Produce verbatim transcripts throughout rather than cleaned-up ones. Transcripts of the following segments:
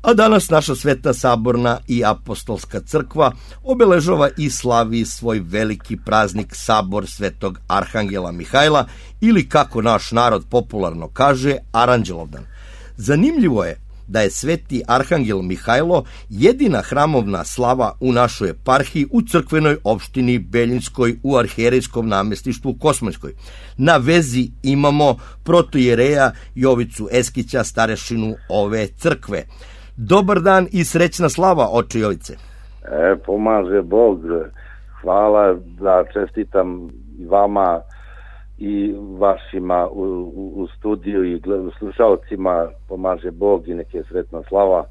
A danas naša Sveta Saborna i Apostolska crkva obeležava i slavi svoj veliki praznik Sabor Svetog Arhangela Mihajla ili, kako naš narod popularno kaže, Aranđelovdan. Zanimljivo je da je Sveti Arhangel Mihajlo jedina hramovna slava u našoj eparhiji u crkvenoj opštini Beljinskoj u arhijerejskom namestništvu Kosmajskoj. Na vezi imamo protoijereja Jovicu Eskića, starešinu ove crkve. Dobar dan i srećna slava, oče Jovice. E, pomaže Bog. Hvala, da čestitam i vama i vašima u, u, u studiju i slušalcima. Pomaže Bog i neke sretna slava.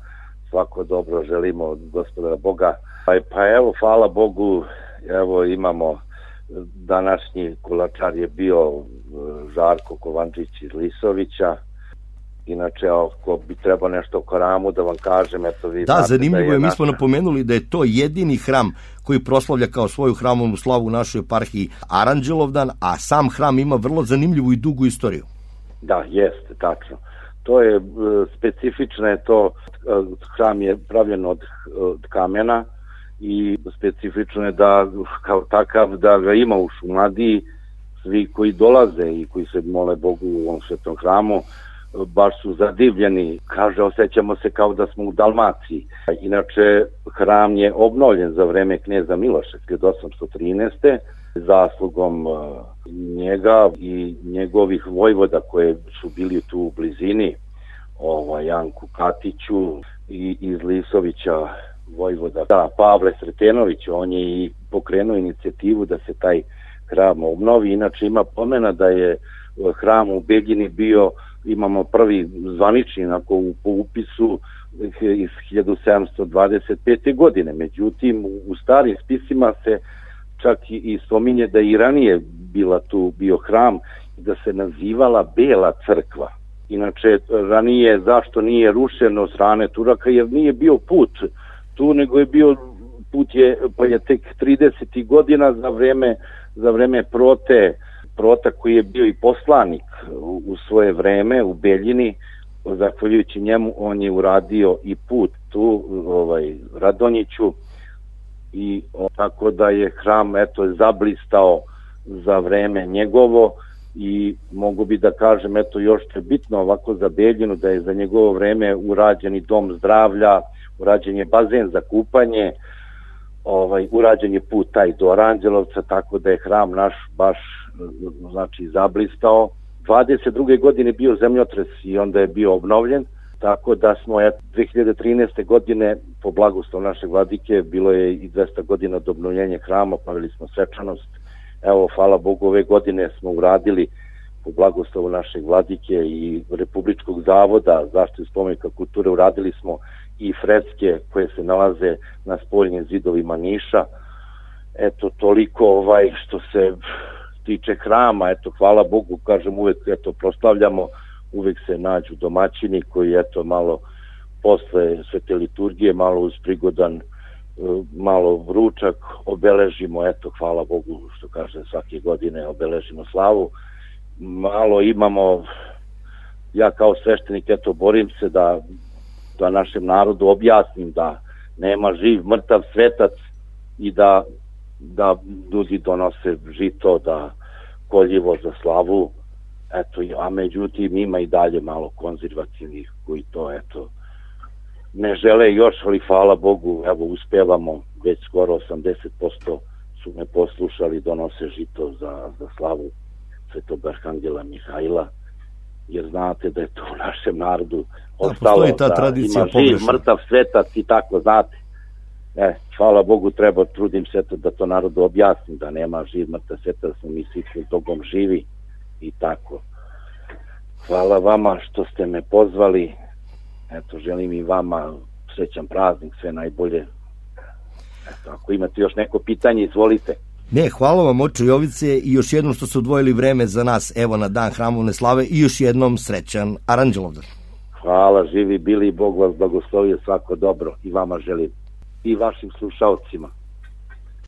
Svako dobro želimo od Gospodara Boga. Pa evo, hvala Bogu, evo imamo današnji kulačar je bio Žarko Kovančić iz Lisovića. Inače, ako bi trebao nešto o hramu da vam kažem, eto vi... Da, zanimljivo je, je mi smo napomenuli da je to jedini hram koji proslavlja kao svoju hramovnu slavu u našoj eparhiji Aranđelovdan, a sam hram ima vrlo zanimljivu i dugu istoriju. Da, jeste, tačno. To je specifično, je to, hram je pravljen od, od kamena i specifično je da, kao takav, da ga ima u Šumadiji, svi koji dolaze i koji se mole Bogu u ovom svetom hramu, baš su zadivljeni, kaže, osjećamo se kao da smo u Dalmaciji. Inače, hram je obnovljen za vreme kneza Miloša hiljadu osamsto trinaeste. zaslugom njega i njegovih vojvoda koje su bili tu u blizini, ovaj, Janku Katiću i iz Lisovića vojvoda, da, Pavle Sretenović, on je i pokrenuo inicijativu da se taj hram obnovi. Inače ima pomena da je hram u Beljini bio, imamo prvi zvanični onako u, po upisu iz hiljadu sedamsto dvadeset pete. godine. Međutim, u starim spisima se čak i, i spominje da i ranije bila tu bio hram i da se nazivala Bela crkva. Inače, ranije zašto nije rušeno od strane Turaka, jer nije bio put tu, nego je bio put je, pa je tek tridesetih godina za vreme, za vreme Prote, Prota koji je bio i poslanik u, u svoje vreme u Beljini, zahvaljujući njemu on je uradio i put tu, ovaj, Radonjiću, i o, tako da je hram eto zablistao za vreme njegovo. I mogu bi da kažem, eto još je bitno ovako za Beljinu, da je za njegovo vreme urađen i dom zdravlja, urađen je bazen za kupanje, ovaj, urađen je put taj do Aranđelovca, tako da je hram naš baš znači zablistao. dvadeset druge. godine bio zemljotres i onda je bio obnovljen, tako da smo ja, dve hiljade trinaeste. godine po blagoslovu našeg vladike, bilo je i dvesta godina od obnovljenja hrama, pavili smo svečanost. Evo, hvala Bogu, ove godine smo uradili po blagoslovu našeg vladike i Republičkog zavoda zaštite spomenika kulture, uradili smo i freske koje se nalaze na spoljnim zidovima Niša. Eto, toliko ovaj što se tiče hrama, eto, hvala Bogu, kažem, uvek eto, proslavljamo, uvek se nađu domaćini koji, eto, malo posle svete liturgije, malo uz prigodan, malo ručak, obeležimo, eto, hvala Bogu, što kaže, svake godine obeležimo slavu. Malo imamo, ja kao sveštenik, eto, borim se da, da našem narodu objasnim da nema živ, mrtav svetac i da, da ljudi donose žito, da koljivo za slavu, eto, a međutim ima i dalje malo konzervativnih koji to, eto, ne žele još, ali hvala Bogu, evo, uspevamo, već skoro osamdeset posto su me poslušali, donose žito za, za slavu Svetog Arhangela Mihajla, jer znate da je to u našem narodu ostalo, da, ta da ima živ, mrtav svetac i tako, znate. E, hvala Bogu, treba, trudim se to da to narodu objasnim, da nema živ, mrtav svetac, da mi svi Bogom živi i tako. Hvala vama što ste me pozvali. Eto, želim i vama srećan praznik, sve najbolje. Eto, ako imate još neko pitanje, izvolite. Ne, hvala vam, oče Jovice, i još jednom što ste odvojili vreme za nas, evo, na dan hramovne slave, i još jednom srećan Aranđelovdan. Hvala, živi bili, Bog vas blagoslovio, svako dobro i vama želim i vašim slušalcima.